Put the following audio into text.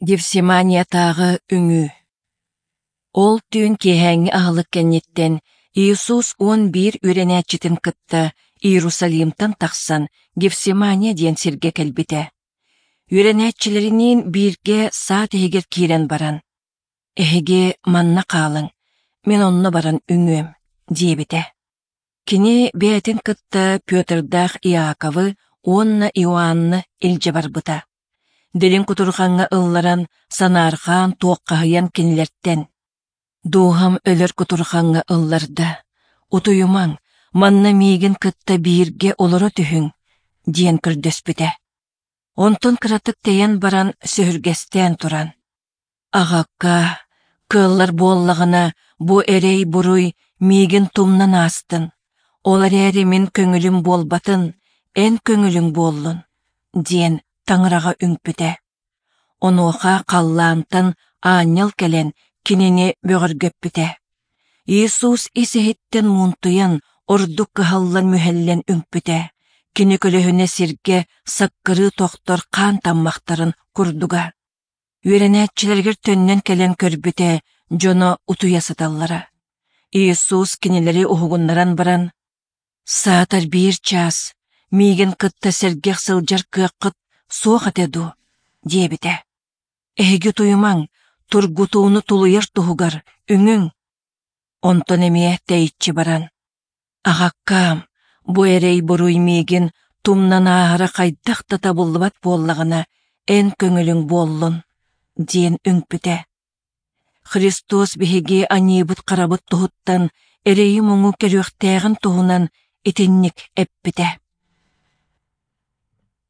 Гефсиманиятааҕы үҥүү. Ол түүн киэһээҥҥи аһылык кэнниттэн Иисус 11 үөрэнээччитин кытта Иерусалимтан тахсан Гефсимания диэн сиргэ кэлбитэ. Үөрэнээччилэриниин бииргэ саад иһигэр киирэн баран, «Эһиги манна хаалыҥ, мин онно баран үҥүөм», диэбитэ. Кини бэйэтин кытта Петрдаах Иаковы уонна Иоанны илдьэ барбыта. Дириҥ кутурҕаҥҥа ылларан, санаарҕаан, туоххаһыйан кинилэртэн: «Дууһам өлөр кутурҕаҥҥа ылларда, утуйумаҥ, манна миигин кытта бииргэ олоро түһүҥ», диэн көрдөспүтэ. Онтон кыратык тэйэн баран сөһүргэстээн туран: «Аҕакка, кыаллар буоллаҕына, бу эрэй-буруй миигин тумнан аастын, ол эрээри мин көҥүлүм буолбатын, эн көҥүлүҥ буоллун», диэн Таҥараҕа үҥпүтэ. Онуоха халлаантан аанньал кэлэн кинини бөҕөргөппүтэ. Иисус ис-иһиттэн муунтуйан, ордук кыһаллан-мүһэллэн үҥпүтэ. Кини көлөһүнэ сиргэ саккырыы тохтор хаан таммахтарын курдуга. Үөрэнээччилэригэр төннөн кэлэн көрбүтэ, дьоно утуйа сыталлара. Иисус кинилэри уһугуннаран баран, «Саатар биир чаас, миигин кытта сэргэх сылдьар кыаххыт суох этэ дуо?» диэбитэ. «Эһиги утуйумаҥ, тургутууну тулуйар туһугар үҥүҥ». Онтон эмиэ тэйиччи баран, «Аҕаккаам, бу эрэй-буруй миигин тумнан ааһара хайдах да табыллыбат буоллаҕына, эн көҥүлүҥ буоллун» диэн үҥпүтэ. Христос биһиги аньыыбыт-харабыт туһуттан эрэйи-муҥу көрүөхтээҕин туһунан итинник эппитэ.